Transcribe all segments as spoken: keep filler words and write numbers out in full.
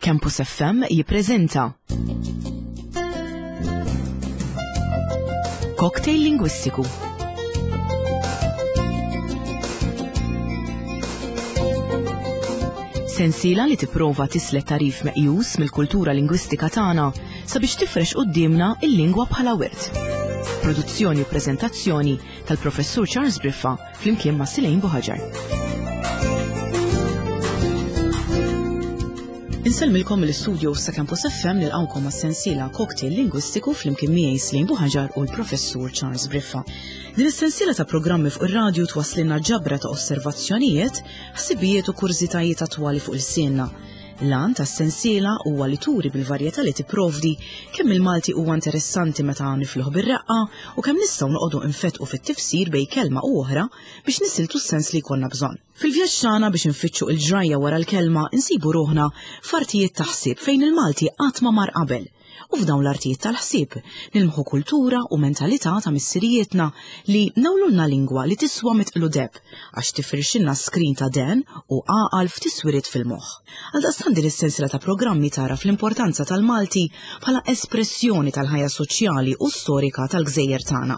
Campus F M jippreżenta Cocktail Lingwistiku. Sensiela li tipprova tislet tarif meqjus mill-kultura lingwistika tagħna sabiex tifrex quddiemna il-lingwa bħala wirt. Produzzjoni u preżentazzjoni tal-Professur Charles Briffa flimkien ma' Silejn Buħaġar. Insellmilkom mill-istudio sa' Campus F M nilqgħukom għas-sensiela Cocktail Lingwistiku flimkien miegħi Silejn Buħaġar u l-Professur Charles Briffa. Din is-sensiela ta' programmi fuq ir-radju twasslilna ġabra ta' osservazzjonijiet, ħsibijiet u kurżitajiet attwali fuq il-sienna. L-għan tas-sensiela huwa li turi bil-varjetà li tipprovdi kemm il-Malti huwa interessanti meta nifluh bir-reqqa u kemm nistgħu noqogħdu nfetqu fit-tifsir bejn kelma u oħra biex nisiltu s-sens li jkollna bżonn. Fil-vjaġġ tagħna biex nfittxu l-ġrajja wara l-kelma insibu ruħna f'artijiet ta' ħsieb fejn il-Malti qatt ma mar qabel. U f'dawn l-artijiet tal-ħsieb nilmħu kultura u mentalità ta' missirijietna li nawlulna lingwa li tiswa mitqlu deb għax tifirxilna skrin ta' den u għaqal f'tiswiriet fil-moħħ. Għaldaqstant din is-sensiela ta' programmi tara fl-importanza tal-Malti bħala espressjoni tal-ħajja soċjali u storika tal-gżejjer tagħna.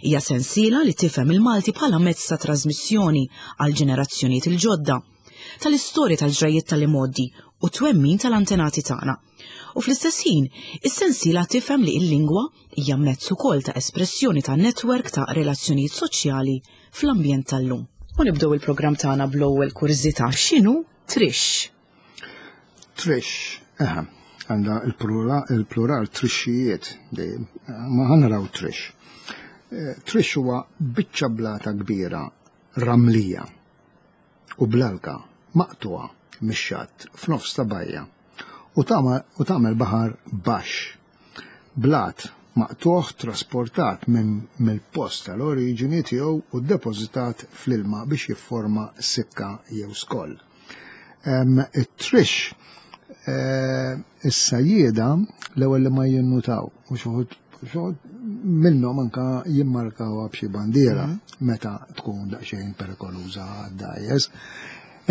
Hija sensiela li tifhem il-Malti bħala mezz ta' trasmissjoni għal ġenerazzjonijiet il-ġodda, tal-istorja tal-ġrajiet tal-imgħoddi u twemmin tal-antenati tagħna. U fl-istess ħin, is-sensiela tifhem li l-lingwa hija mezz ukoll ta' espressjoni ta' netwerk ta' relazzjonijiet soċjali fl-ambjent tal-lum. U nibdew il-programm tagħna bl-ewwel kurżità. X'inhu trix? Trix, eħe, għandha il-plural trixxijiet dejjem, ma ħanaraw trix. Trix huwa biċċa blata kbira ramlija u blalka maqtuha mix-xatt f'nofs ta' bajja u tagħmel baħar baxx. Blat maqtuħ trasportat minn mill-post tal-oriġini tiegħu u ddepożitat fl-ilma biex jifforma sikka jew skoll. It-trix is-sajjieda l-ewwel li ma jinnutaw u xi wħud minnhom anka jimmarkawha b'xi bandiera meta tkun daqsxejn perikoluża għad-dgħajjes.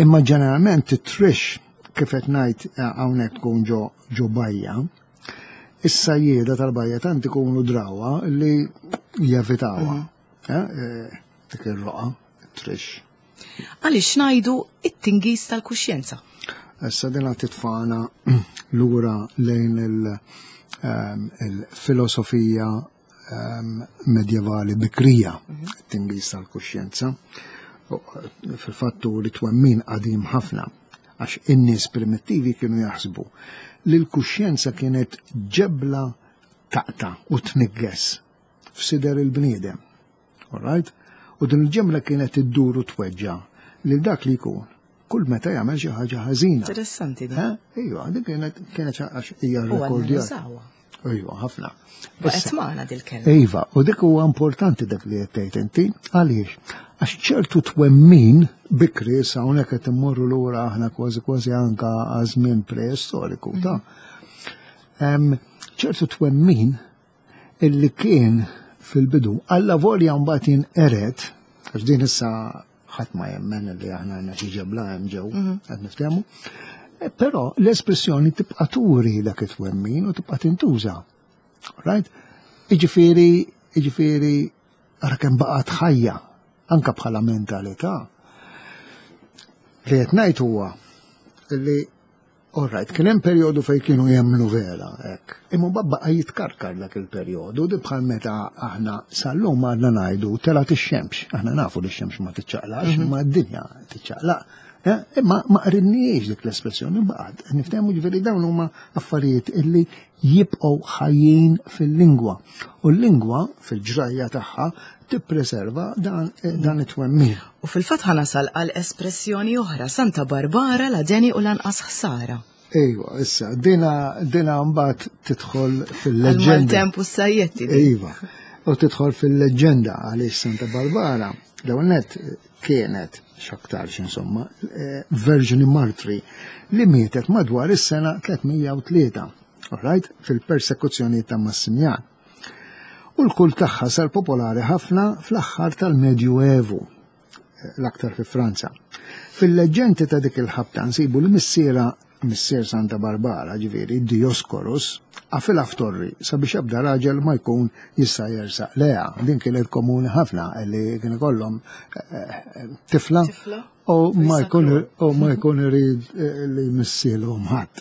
Imma ġeneralment it-trix kif qed ngħid hawnhekk tkun ġo ġo bajja, is-sajjieda tal-bajja tant ikunu drawha li jevitawha. Dik ir-roqa, it-trix. Għaliex ngħidu it-tingiż tal-kuxjenza? Issa din titfana lura lejn il-filosofija medjevali bikrija, it-tingiż tal-kuxjenza. Fil-fattu li twemmin qadim ħafna, għax in-nies primittivi kienu jaħsbu li l-kuxjenza kienet ġebla taqta u tnigges f'sider il-bniedem. All right? U din il-ġebla kienet iddur u tweġġa' lil dak li jkun kull meta jagħmel xi ħaġa ħażina. Interessanti din. Ejwa, din kienet kienet għax hija rekordjata. Ejwa, ħafna. Baqgħet magħna dil-kelma. Iva, u dik huwa importanti dak li qed tgħid inti, għaliex? Għax ċertu twemmin bikri sa hawnhekk qed immorru lura aħna kważi kważi anka għaż-żmien preistoriku, ta' ċertu twemmin illi kien fil-bidu alla volja mbagħad jinqered, għax din issa ħadd ma jemmen li aħna għandna xi ġebla hemm ġew, qed niftehmu. Però l-espressjoni tibqa' turi dak it-twemmin u tibqa' tintuża. Right? Jiġifieri, jiġifieri ara kemm baqgħet ħajja anka bħala mentalità. Li qed ngħid huwa li all right, kien hemm perjodu fejn kienu jemmnu vera hekk. Imma mbagħad baqa' jitkarkar dak il-perjodu, di bħal meta aħna sal-lum għadna ngħidu telgħet ix-xemx. Aħna nafu li x-xemx ma tiċċaqlax, imma d-dinja tiċċaqlaq. Imma ma qrinniex dik l-espressjoni baqgħet. Niftehmu ġifieri dawn huma affarijiet illi jibqgħu ħajjin fil-lingwa. U l-lingwa fil-ġrajja tagħha tippreserva dan, dan it-twemmin. U fil-fatt ħanasal għal espressjoni oħra, Santa Barbara la deni u lanqas ħsara. Ejwa, issa, dina, dina mbagħad tidħol fil-leġġenda. Għal-temp u s-sajjetti. Iva, u tidħol fil-leġġenda għaliex Santa Barbara, l-ewwel nett kienet x'aktarx insomma, Verġni Martri li mietet madwar is-sena tliet mija u tlieta, all right, fil-persekuzzjoni ta' Massimjan. U l-kult tagħha sar popolari ħafna fl-aħħar tal-Medju Evu, l-aktar fi Franza. Fil-leġġendi ta' dik il-ħabta nsibu li missiera missier Santa Barbara, ġifieri Dioscorus, qafilha f'torri sabiex ebda raġel ma jkun jista' jersaq leha. Din kienet komuni ħafna li kien ikollhom tifla u ma jkun u ma jkun irid li jmissilhom ħadd.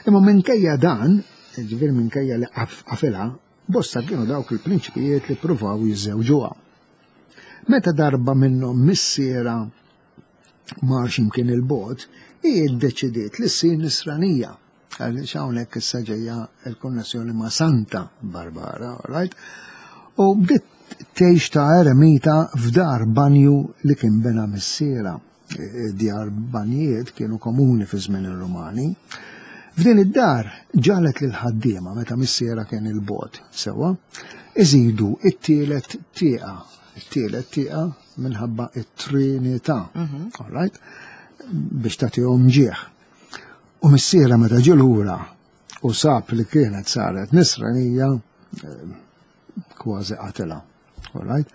Imma minkejja dan, ġifieri minkejja li qafilha, bosta kienu dawk il-prinċipijiet li ppruvaw jiżżewġuha. Meta darba minnhom missiera mar x'imkien il-bogħod, hi ddeċidiet li ssir nisranija. Għaliex hawnhekk issa ġejja l-konnessjoni ma' Santa Barbara, right? U bdiet tgħix ta' eremita f'dar banju li kien bena missiera. Djar banjiet kienu komuni fi żmien ir-Rumani. F'din id-dar ġalet lil ħaddiema meta missiera kien il-bogħod, sewwa, iżidu it-tielet tieqa, it-tielet tieqa minħabba it-Trinità, all right? Biex tagħtihom ġieħ. U missiera meta ġie lura u sab li kienet saret nisranija, kważi qatilha. All right?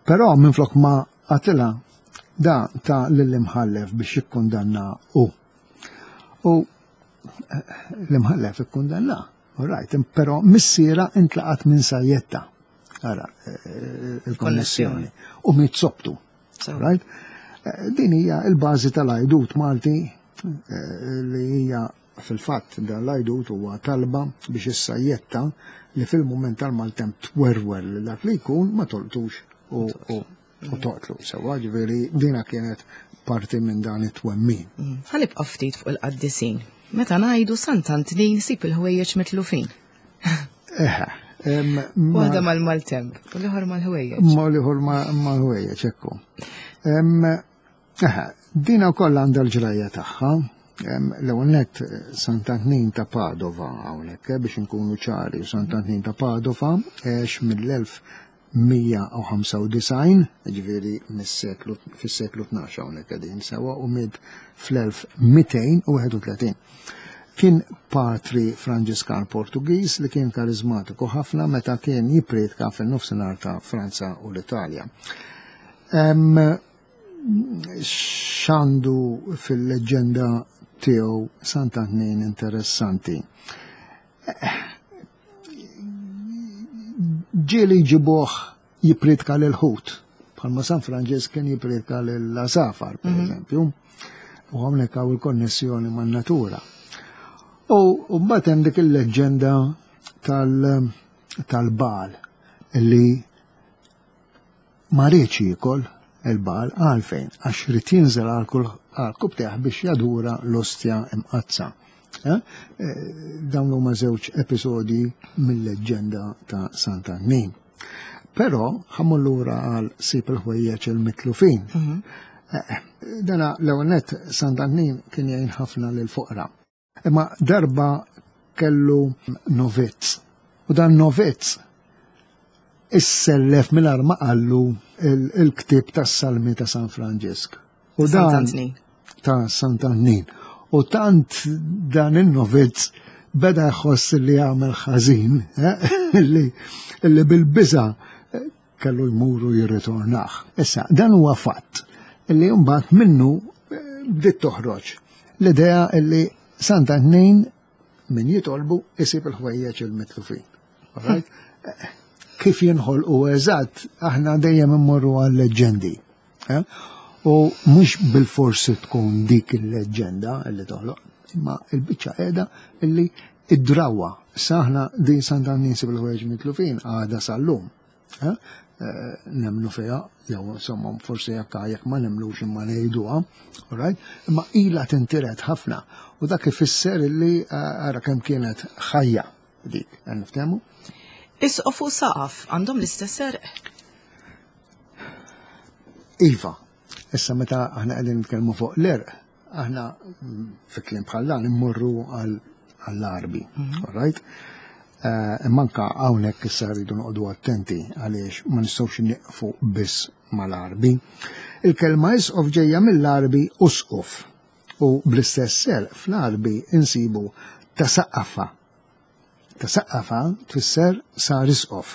Però minflok ma qatilha, da ta lill-imħallef biex jikkundanna hu. U l-imħallef ikkundanna, all right? Però missiera intlaqat minn sajjetta. Ara, il-konnessjoni. U miet sobtu. Right? Din hija l-bażi tal-għajdut Malti li hija fil-fatt dan l-għajdut huwa talba biex is-sajjetta li fil-mument tal-maltemp twerwer li dak li jkun ma tolqtux u toqtlu. Sewwa, ġifieri dina kienet parti minn dan it-twemmin. Ħa nibqa' ftit fuq il-qaddisin. Meta ngħidu Sant'Antnin sib il-ħwejjeġ mitlufin. Eħe. Waħda mal-maltemp, u l-ieħor mal-ħwejjeġ. Ma l-ieħor mal-ħwejjeġ, ekku. Eħe, dina wkoll għandha l-ġrajja tagħha. L-ewwel nett Sant'Antnin ta' Padova hawnhekk biex inkunu ċari, Sant'Antnin ta' Padova għex mill-elf mija u ħamsa u disgħin, ġifieri mis-seklu fis-seklu tnax hawnhekk qegħdin sewwa, u miet fl-elf mitejn u wieħed u tletin. Kien patri Franġiskan Portugiż li kien karizmatiku ħafna meta kien jippriedka fin-nofsinhar ta' Franza u l-Italja. X'għandu fil-leġġenda tiegħu Sant'Antnin interessanti? Ġieli jġibuh jippriedka lil ħut, bħalma San Franġisk kien jippriedka lill-għasafar, per eżempju, u hawnhekk hawn il-konnessjoni man-natura. U mbagħad hemm dik il-leġġenda tal-bal li ma riedx jiekol il-bal għalfejn, għax ried jinżel għal kubtejh biex jadura l-ostja imqazza. Dawn huma żewġ episodji mill-leġġenda ta' Sant'Antnin. Però ħammur lura għal sib il-ħwejjeġ il-mitlufin. Dana l-ewwel nett Sant'Antnin kien jgħin ħafna lill-foqra. Imma darba kellu novizz. U dan novizz issellef mingħajr ma qallu il-ktieb tas-Salmi ta' San Franġisk. U dan ta' Sant'Antnin. U tant dan in-novizz beda jħoss li jagħmel ħażin, li bil-biża' kellu jmuru jirritornah. Issa, dan huwa fatt li mbagħad minnu bdiet toħroġ l-idea li Sant'Antnin min jitolbu isib il-ħwejjeġ il-mitlufin. Right? Kif jinħolqu eżatt, aħna dejjem immorru għal-leġġendi. U mhux bil-forsi tkun dik il-leġġenda li toħloq, imma il-biċċa qiegħda illi id-drawa. Issa aħna din Sant'Antnin sib il-ħwejjeġ mitlufin għadha sal-lum. Nemnu fiha, jew insomma forsi jekk jekk ma nemlux imma ngħiduha, right? Imma ilha tintiret ħafna u dak ifisser illi ara kemm kienet ħajja dik, niftehmu? Isqof u saqaf għandhom l-istess serq? Iva, issa meta aħna qegħdin nitkellmu fuq l-erq, aħna fi kliem bħal dan immorru għall-Arbi, all right? Imma anke hawnhekk issa rridu noqogħdu attenti għaliex ma nistgħux nieqfu biss mal-Arbi. Il-kelma isqof ġejja mill-Arbi usqof u bl-istess serq fl-Arbi insibu tasaqqafa. Tasaqqafa tfisser sar isqof.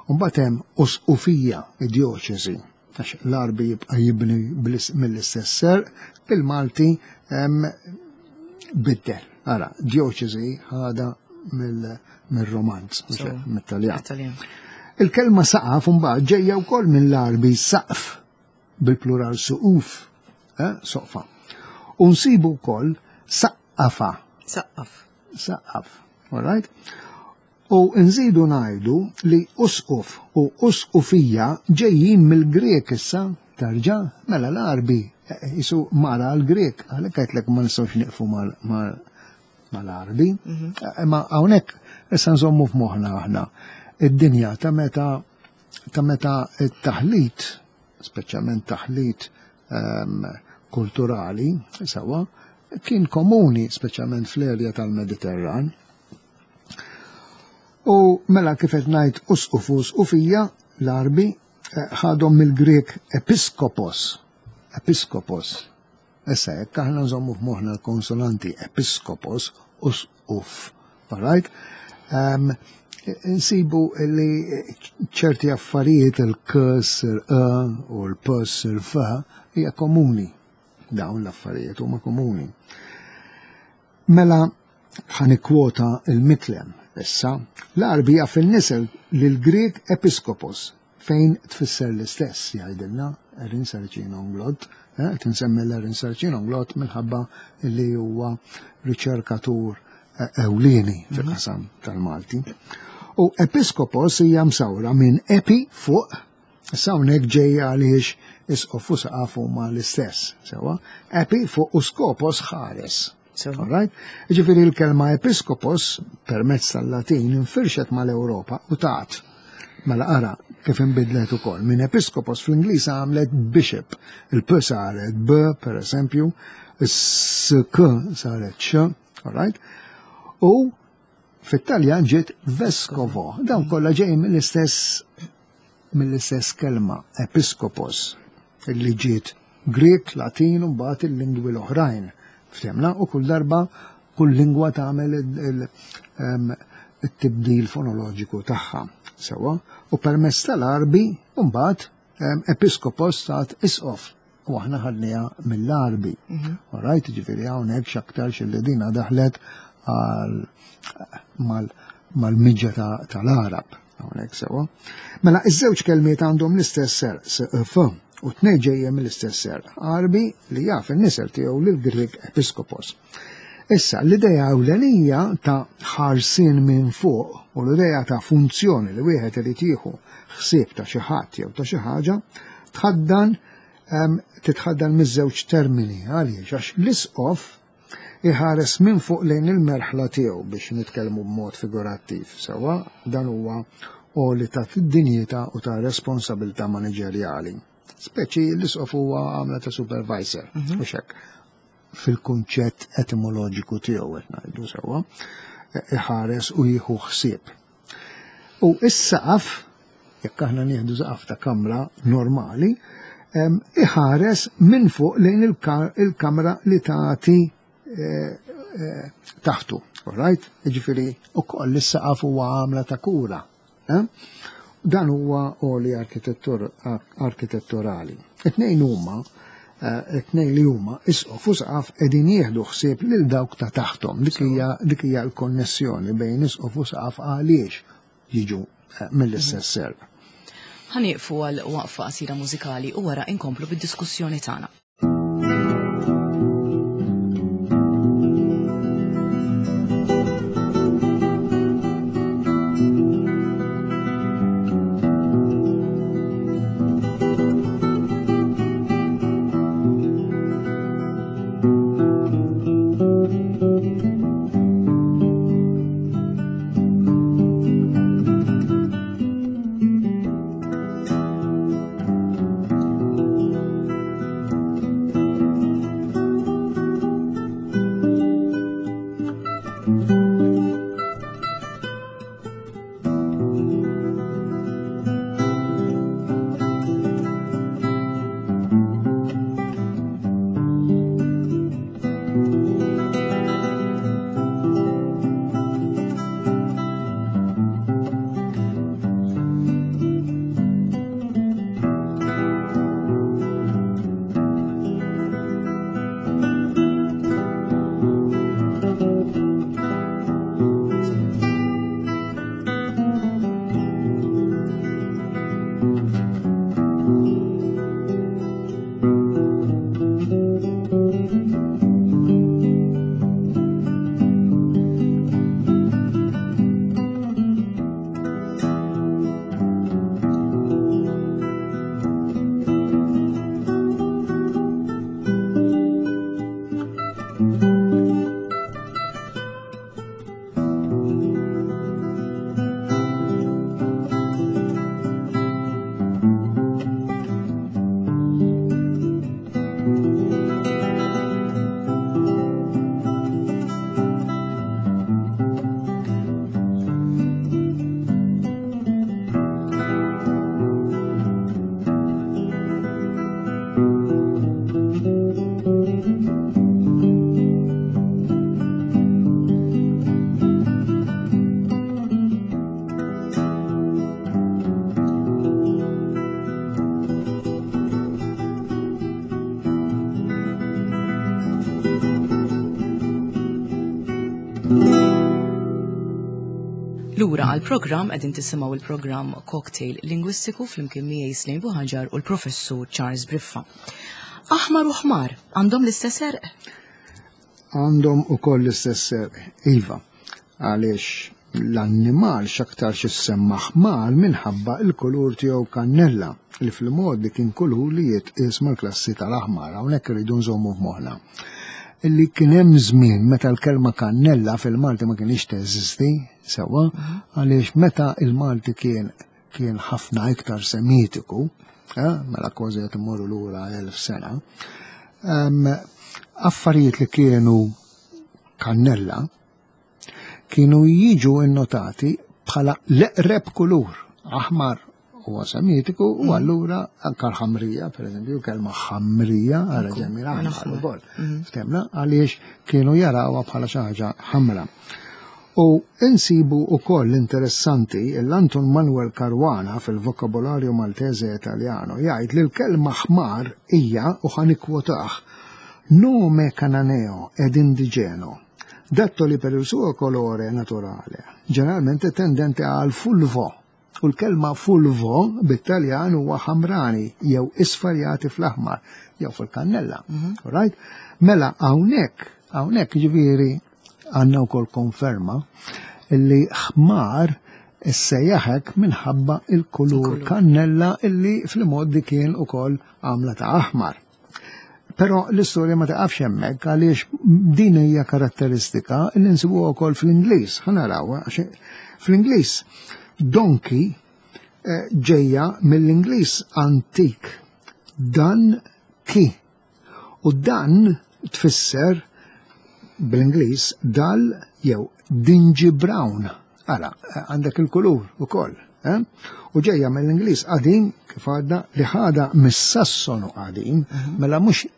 U mbagħad hemm usqufija, id-djoċesi, għax l-Arbi jibqa' jibni mill-istess serq, il-Malti biddel. Ara, dioċesi ħada mill-Romanz, mit-Taljan. Il-kelma saqaf mbagħad ġejja wkoll mill-Għarbi saqf bil-plural suquf, eh, soqfa. U nsibu wkoll saqqafa. Saqqaf. Saqqaf, all right? U nżidu ngħidu li usquf u usqufija ġejjin mill-Grek issa tarġa' mela l-Għarbi jisu mara l-Grek, għalhekk għedtlek ma nistgħux nieqfu mal-Għarbi. Imma hawnhekk issa nżommu f'moħħna aħna id-dinja ta' meta ta' meta t-taħlit, speċjalment taħlit ehm, kulturali, sewa, kien komuni, speċjalment fl-erja tal-Mediterran. U mela kif qed ngħid usquf usqufija l-Għarbi eh, ħadhom mill-Grek episkopos. Episkopos. Issa jekk aħna nżommu f'moħħna l-konsonanti episkopos, usquf, all right? Um, nsibu li ċerti affarijiet il-k sir e u l-p sir f hija komuni. Dawn l-affarijiet huma komuni. Mela ħa nikkwota il-Miklem issa, l-Għarbi jaf in-nisel lil-Grek episkopos fejn tfisser l-istess jgħidilna Erin Sarcina Unglot, eh, qed insemmi l-Erin Sarcina Unglot minħabba li huwa riċerkatur eh, ewlieni fil-qasam tal-Malti. U episkopos hija msawra minn epi fuq, issa hawnhekk ġejja għaliex isqof u saqaf huma l-istess, sewa, epi fuq u skopos ħares. Sewa. All right? Ġifieri l-kelma episkopos permezz tal-Latin infirxet mal-Ewropa u tat. Mela ara kif inbidlet ukoll. Minn episkopos fl-Ingliż għamlet bishop. Il-P saret B, per eżempju, is-K saret X, all right? U fit-Taljan ġiet vescovo. Dawn kollha ġej mill-istess mill-istess kelma, episkopos, li ġiet Grek, Latin u mbagħad il-lingwi l-oħrajn. Ftemna u kull darba kull lingwa tagħmel it-tibdil fonoloġiku tagħha. Sewa, u permezz tal-Għarbi mbagħad episkopos tat isqof u aħna ħadniha mill-Għarbi. All right, ġifieri hawnhekk x'aktarx li dina daħlet mal-miġja tal-Għarab. Hawnhekk sewa. Mela iż-żewġ kelmiet għandhom l-istess ser, s f, u tnejn ġejja mill-istess ser, Għarbi li jaf in-nisel tiegħu lil-Grek episkopos. Issa, l-idea ewlenija ta' ħarsien minn fuq u l-idea ta' funzjoni li wieħed irid jieħu ħsieb ta' xi ħadd jew ta' xi ħaġa tħaddan titħaddan miż-żewġ termini għaliex għax l-isqof iħares minn fuq lejn il-merħla tiegħu biex nitkellmu b'mod figurattiv. Sewa dan huwa għoli ta' dinjità u ta' responsabilità maniġerjali. Speċi l-isqof huwa għamla ta' supervisor, u hekk fil-kunċett etimoloġiku tiegħu qed ngħidu sewwa, iħares u jieħu ħsieb. U is-saqaf, jekk aħna nieħdu saqaf ta' kamra normali, iħares minn fuq lejn il-kamra li tagħti taħtu. All right? Jiġifieri ukoll is-saqaf huwa għamla ta' kura. Dan huwa għoli arkitetturali. It-tnejn huma it-tnejn li huma isqof u saqaf qegħdin jieħdu ħsieb lil dawk ta' taħtom. Dik hija dik hija l-konnessjoni bejn isqof u saqaf għaliex jiġu mill-istess serv. Ħa nieqfu għal waqfa qasira mużikali u wara inkomplu bid-diskussjoni tagħna. Lura għal-programm qegħdin tisimgħu il-programm Cocktail Lingwistiku flimkien miegħi Slim Buhaġar u l-professur Charles Briffa. Aħmar u ħmar għandhom l-istess għerq? Għandhom ukoll l-istess għerq, iva, għaliex l-annimal x'aktar jissemma ħmar minħabba il-kulur tiegħu kannella li fil-mod kien kulur li jitqies mal-klassi tal-aħmar, hawnhekk irridu nżommu f'moħħna. Illi kien hemm żmien meta l-kelma kannella fil-Malti ma kienx teżisti sewwa, għaliex meta il-Malti kien kien ħafna iktar semitiku, eh, mela kważi qed immorru lura elf sena, em, affarijiet li kienu kannella kienu jiġu innotati bħala l-eqreb kulur, aħmar huwa semitiku u allura anka l-ħamrija, per eżempju, kelma ħamrija għara ġemil aħmar ukoll. Ftemna għaliex kienu jarawha bħala xi ħaġa ħamra. U insibu ukoll interessanti l-Anton Manuel Caruana fil-Vocabolario Maltese Italiano jgħid li l-kelma ħmar hija u ħa nikkwotaha nome cananeo ed indigeno, dattoli per il suo colore naturale, generalmente tendente al fulvo. U l-kelma fulvo bit-Taljan huwa ħamrani jew isfar jagħti fl-aħmar jew fil-kannella. Right? Mela hawnhekk, hawnhekk ġifieri għandna wkoll konferma illi ħmar issejjaħek minħabba il-kulur kannella illi fil-modi kien ukoll għamla ta' aħmar. Però l-istorja ma taqafx hemmhekk għaliex din hija karatteristika li nsibuha wkoll fl-Ingliż. Ħa narawha għax fl-Ingliż donkey eh, ġejja mill-Ingliż antik dun ki. U dan tfisser bl-Ingliż dull jew dingy brown. Ara, għandek il-kulur ukoll. Eh? U ġejja mill-Ingliż qadim kif għadna li ħada mis-Sassonu qadim, mela mhux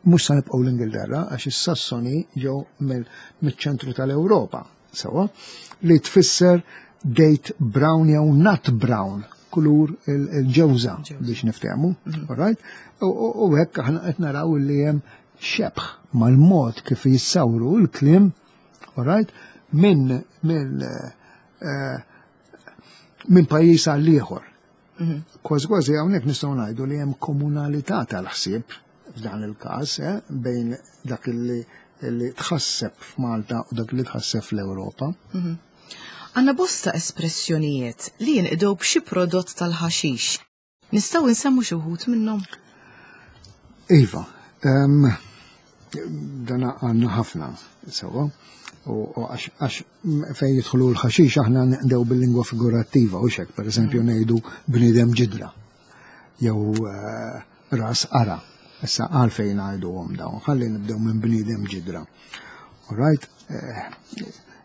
mhux sa nibqgħu l-Ingilterra għax is-Sassoni ġew mill-ċentru tal-Ewropa, sewwa, li tfisser date brown jew nut brown, kulur il-ġewża biex niftehmu, all right? U hekk aħna qed naraw li hemm xebħ mal-mod kif jissawru l-kliem, all right, minn minn eh, minn pajjiż għal ieħor. Kważi kważi hawnhekk nistgħu ngħidu li hemm komunalità tal-ħsieb f'dan il-każ eh, bejn dak li li tħasseb f'Malta u dak li tħasseb fl-Ewropa. Għandna bosta espressjonijiet li jinqdew b'xi prodott tal-ħaxix. Nistgħu nsemmu xi wħud minnhom? Iva, em, dana għandna ħafna, sewwa, u u għax għax fejn jidħlu l-ħaxix aħna nqdew bil-lingwa figurattiva u xek, per eżempju ngħidu bniedem ġidra, jew eh, ras qara. Issa għalfejn ngħiduhom dawn, ħalli nibdew minn bniedem ġidra. All right, eh,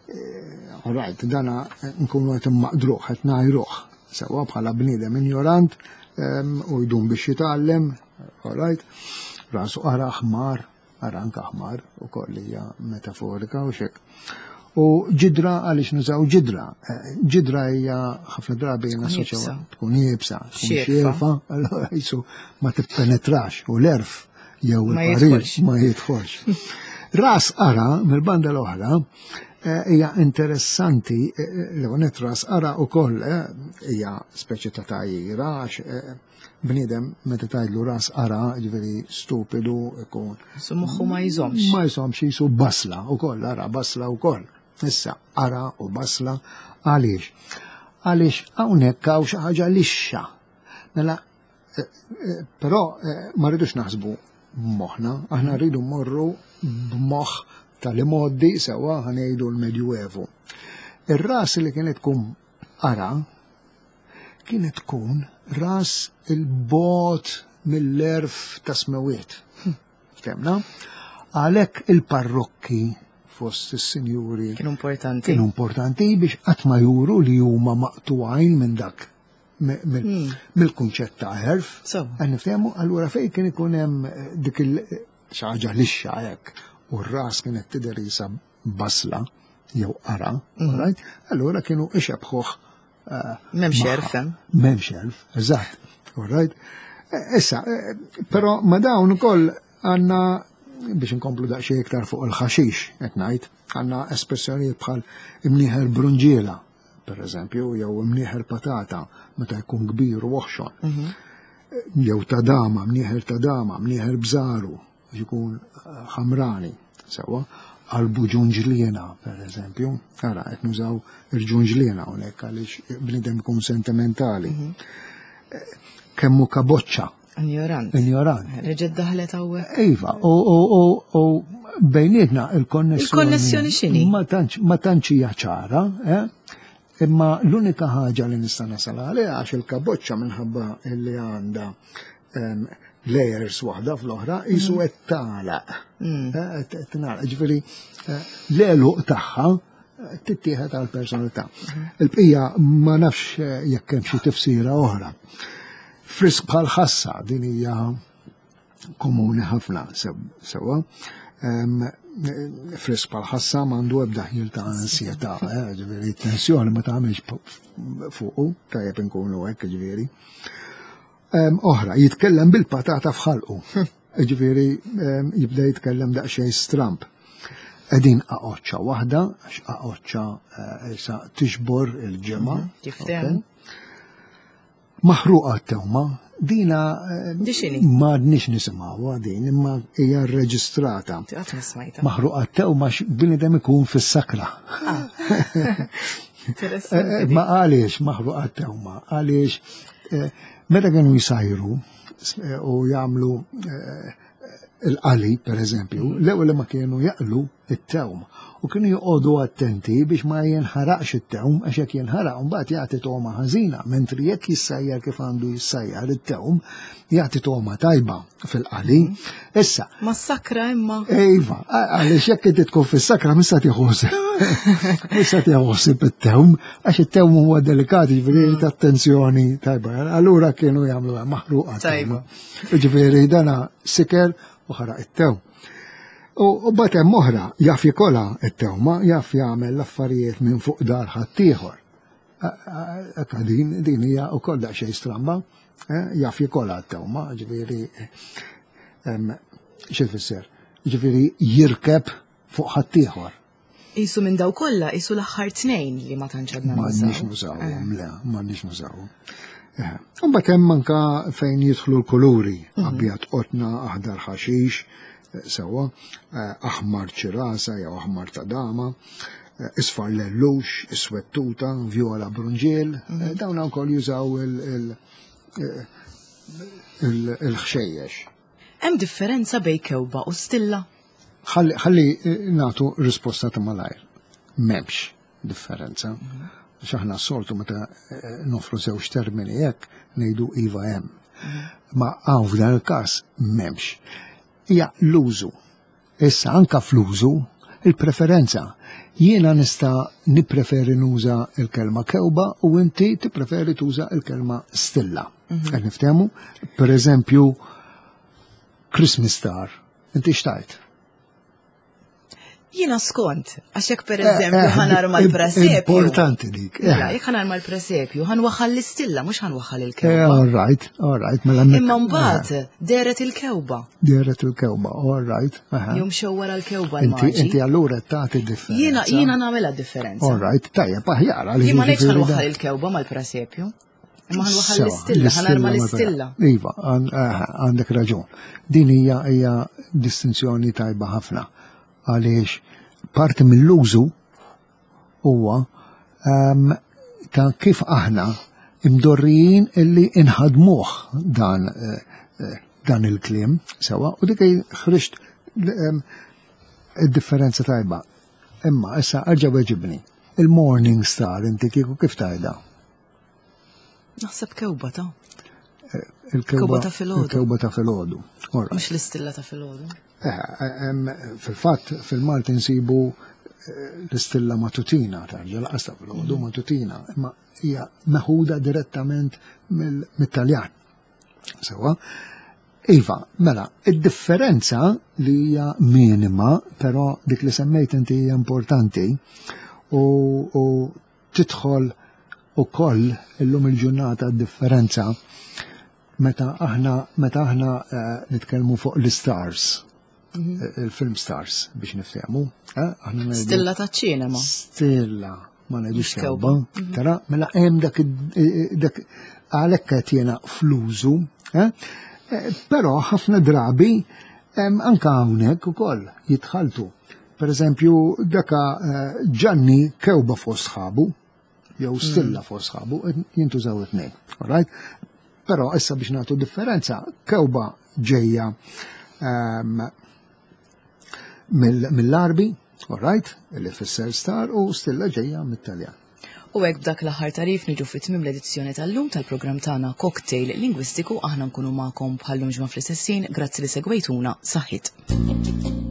eh, all right, dana nkunu qed immaqdruh, qed ngħajruh, sewwa bħala bniedem ignorant em, u jdum biex jitgħallem, all right, rasu qara ħmar, ara anka ħmar u koll hija metaforika u xek. U ġidra għaliex nużaw ġidra. Eh, Ġidra hija ħafna drabi nassoċjaw iebsa. tkun iebsa, tkun Xierfa. xierfa, allora jisu ma tippenetrax u l-għerf jew Ma il-parir jidħolx. ma jidħolx. Ras qara mill-banda l-oħra eh, hija interessanti eh, l ras qara ukoll eh, hija speċi ta' tgħajjira għax eh, bniedem meta tgħidlu ras qara ġifieri stupidu ikun Su moħħu ma jżomx. ma jżommx jisu basla ukoll, ara basla ukoll. Issa, ara u basla għaliex? Għaliex hawnhekk hawn xi ħaġa lixxa. Mela, eh, eh, però eh, ma rridux naħsbu b'moħħna, aħna rridu mmorru b'moħħ tal-imoddi sewwa ħa ngħidu l-Medjuevu. Ir-ras li kienet tkun qara kienet tkun ras il-bogħod mill-għerf ta' smewiet. Ftemna? Għalhekk il-parrokki fost is-sinjuri Kienu importanti. kienu importanti biex qatt ma juru li huma maqtugħin minn dak mi- mill- mill-kunċett ta' għerf. Sewwa. Għan niftehmu, allura fejn kien ikun hemm eh, dik il xi ħaġa lixxa hekk u r-ras kienet tidher isa basla jew qara, right? Allura kienu ixebħuh eh, M'hemmx magħha. għerf hemm. M'hemmx għerf, eżatt. All right? Eh, Issa, eh, però ma dawn ukoll għandna Biex inkomplu daqsxejn iktar fuq il-ħaxix, qed ngħid, għandna espressjonijiet bħal imnieħer brunġiela, per eżempju, jew imnieħer patata, meta jkun kbir u oħxon. Mhm. Jew ta' dama, mnieħer ta' dama, mnieħer bżaru, biex ikun ħamrani, sewwa, qalbu ġunġliena, per eżempju, ara, qed nużaw il-ġunġliena hawnhekk għaliex bniedem ikun sentimentali. Mhm. Kemmu kaboċċa. Ignorant. Ignorant. Reġgħet daħlet hawnhekk. Iva, u, u, u, u bejnietna il-konnessjoni. Il-konnessjoni x'inhi? Ma tantx, ma tantx hija ċara, eh? Imma l-unika ħaġa li nista' nasal għaliha għax il-kaboċċa minħabba li għandha, em, layers waħda fl-oħra, qisu qed tagħlaq. Mm. Eh, qed tingħalaq. Ġifieri, eh, l-għeluq tagħha tittieħed għal personalità. Il-bqija ma nafx, eh, jekk hemm xi tifsira oħra. Frisk bħal ħassa, din hija komuni ħafna sewwa. Em, Frisk bħal ħassa m'għandu ebda ħjiel ta' ansjetà, eh, ġifieri tensjoni ma tagħmilx fuqu, tajjeb inkunu hekk, ġifieri. Em, Oħra, jitkellem bil-patata f'ħalqu. Ġifieri, em, jibda jitkellem daqsxejn stramp. Qegħdin aqoċċa waħda, għax aqoċċa, eh, issa tixbor il-ġemgħa. Mhm, kif temm? Maħruqa t-tewma, dina, eh, Di x'inhi? ma għadniex nisimgħuha din, imma hija rreġistrata. Qatt ma smajta. Maħruqa t-tewma bniedem ikun fis-sakra. Ah. Eh, eh, ma għaliex maħruqa t-tewma, għaliex, eh, meta kienu jsajru, eh, u jagħmlu, eh, il-qali, per eżempju, l-ewwel li ma kienu jaqlu it-tewm u kienu joqogħdu attenti biex ma jinħaraqx it-tewm, għax jekk jinħaraq mbagħad jagħti togħma ħażina, mentri jekk jissajjar kif għandu jissajjar it-tewm, jagħti togħma tajba fil-qali. Issa. Ma sakra imma. Iva, għaliex jekk inti tkun fis-sakra mista tieħu Mista tieħu ħsieb it-tewm, għax it-tewm huwa delikat, ġifieri ta' attenzjoni tajba. Allura kienu jagħmlu maħruqa Tajba. Ġifieri dana siker u ħaraq it-tewm. U, u mbagħad hemm oħra, jaf jikolha it-tewma, jaf jagħmel l-affarijiet minn fuq dar ħaddieħor. Ekka din, din hija wkoll daqsxejn stramba, eh, jaf jikolha t-tewma, ġifieri, em, xi tfisser? Ġifieri jirkeb fuq ħaddieħor. Qisu minn daw kollha, qisu l-aħħar tnejn li ma tantx għadna Ma nużaw. għandniex nużawhom, le, ma għandniex nużawhom. Eh, Mbagħad hemm anka fejn jidħlu l-kuluri, Mhm. abjad qotna, aħdar ħaxix, eh, sewwa, eh, aħmar ċirasa jew aħmar ta' dama, eh, isfar lellux, iswed tuta, vjola brunġiel, Mhm. eh, dawn wkoll jużaw il-, il-, eh, il-, il-ħxejjex. Hemm differenza bejn kewba u stilla? Ħalli, ħalli, eh, nagħtu risposta ta' malajr. M'hemmx differenza. Mhm. Għax aħna s-soltu meta, eh, nofru żewġ termini hekk ngħidu iva hemm. Mhm. Ma hawn f'dan il-każ m'hemmx. Hija l-użu. Issa anka fl-użu il-preferenza. Jiena nista' nippreferi nuża il-kelma kewba u inti tippreferi tuża il-kelma stilla. Mhm. Qed niftehmu? Per eżempju, Christmas star. Inti xtajt? Jiena skont, għax jekk per Eh, eżempju eh, ħanar im- mal-presepju. Importanti dik. eh. Mela, jekk ħanar mal-presepju, ħanwaħħal l-istilla, mhux ħanwaħħal Eh, il-kewba. all right, all right, mela mek- Imma mbagħad eh. deret il-kewba. Deret il-kewba, all right. aha. Jum xew wara l-kewba Inti l-maġi. inti allura tagħti differenza. Jiena jiena nagħmilha differenza. All right, tajjeb, aħjar. għaliex Jien ma ngħidx jiġifieri ħanwaħħal da- il-kewba mal-presepju. Imma ħanwaħħal Sewa, l-istilla, ħanarma l-istilla l-istilla. mal- Iva, għan-, eh, għandek raġun. Din hija hija distinzjoni tajba ħafna. Għaliex parti mill-użu huwa, ehm, ta' kif aħna imdorrijin illi inħadmuh dan, eh, eh, dan il-kliem sewa, u dik ħriġt, ehm, id-differenza tajba. Imma issa erġa' weġibni. Il-morning star inti kieku kif tajda? Naħseb kewba ta' Eh, il-kewba Kewba ta' filgħodu. Il-kewba ta' filgħodu. All right. Mhux l-istilla ta' filgħodu. Eh, eh, em, fil-fatt, fil-Malti nsibu, eh, l-istilla matutina, tarġa laqas ta' filgħodu matutina, imma hija meħuda direttament mill-, mit-Taljan. Sewa. Iva, mela, id-differenza li hija minima, però dik li semmejt inti hija importanti u, u tidħol ukoll illum il-ġurnata d-differenza meta aħna, meta aħna, eh, nitkellmu fuq l-stars. Il-film stars biex niftehmu. Eh, aħna ngħidu- Stilla ta' ċinema. Stilla, ma ngħidux Mhux kewba. Kewba. Tara, mela hemm dak id- dak għalhekk qed jiena fl-użu, eh? Eh, Però ħafna drabi em, anka hawnhekk ukoll jitħaltu. Per eżempju, daka eh, Ġanni kewba fost sħabu, jew stilla fost sħabu, jintużaw it-tnejn. Alright? Però issa biex nagħtu differenza, kewba ġejja ehm, mill- mill-Għarbi, alright, li fisser star, u stilla ġejja mit-Taljan. U hekk b'dak l-aħħar tagħrif niġu fi tmiem l-edizzjoni tal-lum tal-programm tagħna Cocktail Lingwistiku. Aħna nkunu magħkom bħallum ġimgħa fl-istess ħin. Grazzi li segwejtuna, saħħit.